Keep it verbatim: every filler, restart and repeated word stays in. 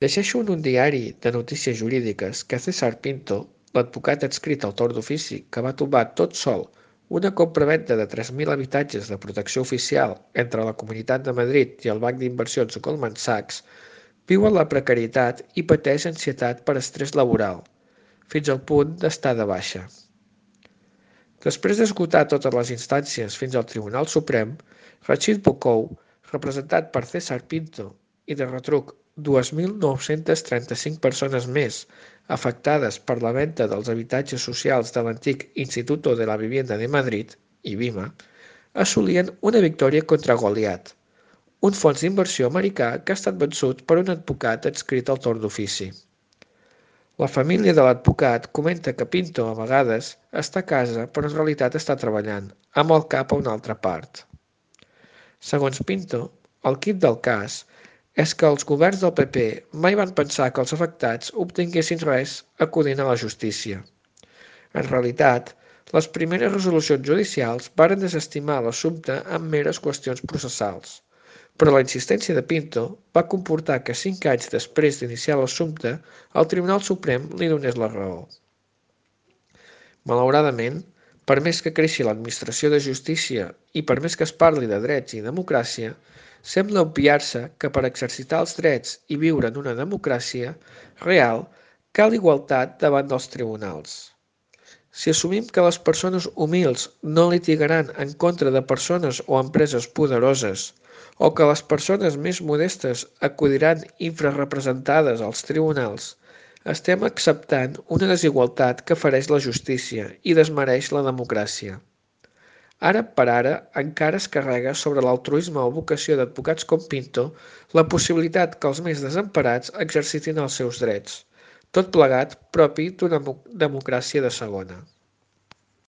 Llegeixo en un diari de notícies jurídiques que César Pinto, l'advocat adscrit al torn d'ofici que va tombar tot sol una compravenda de tres mil habitatges de protecció oficial entre la Comunitat de Madrid i el banc d'inversions Goldman Sachs, viu en la precarietat i pateix ansietat per estrès laboral, fins al punt d'estar de baixa. Després d'esgotar totes les instàncies fins al Tribunal Suprem, Rachid Bocou, representat per César Pinto, i de retruc dues mil nou-centes trenta-cinc persones més afectades per la venda dels habitatges socials de l'antic Instituto de la Vivienda de Madrid, I B I M A, assolien una victòria contra Goliat, un fons d'inversió americà que ha estat vençut per un advocat adscrit al torn d'ofici. La família de l'advocat comenta que Pinto a vegades està a casa però en realitat està treballant, amb el cap a una altra part. Segons Pinto, el quid del cas és que els governs del P P mai van pensar que els afectats obtinguessin res acudint a la justícia. En realitat, les primeres resolucions judicials varen desestimar l'assumpte amb meres qüestions processals, però la insistència de Pinto va comportar que cinc anys després d'iniciar l'assumpte el Tribunal Suprem li donés la raó. Malauradament, per més que creixi l'administració de justícia i per més que es parli de drets i democràcia, sembla obviar-se que per exercitar els drets i viure en una democràcia real cal igualtat davant dels tribunals. Si assumim que les persones humils no litigaran en contra de persones o empreses poderoses, o que les persones més modestes acudiran infrarrepresentades als tribunals, estem acceptant una desigualtat que fereix la justícia i desmereix la democràcia. Ara per ara encara es carrega sobre l'altruisme o vocació d'advocats com Pinto la possibilitat que els més desemparats exercitin els seus drets, tot plegat propi d'una democràcia de segona.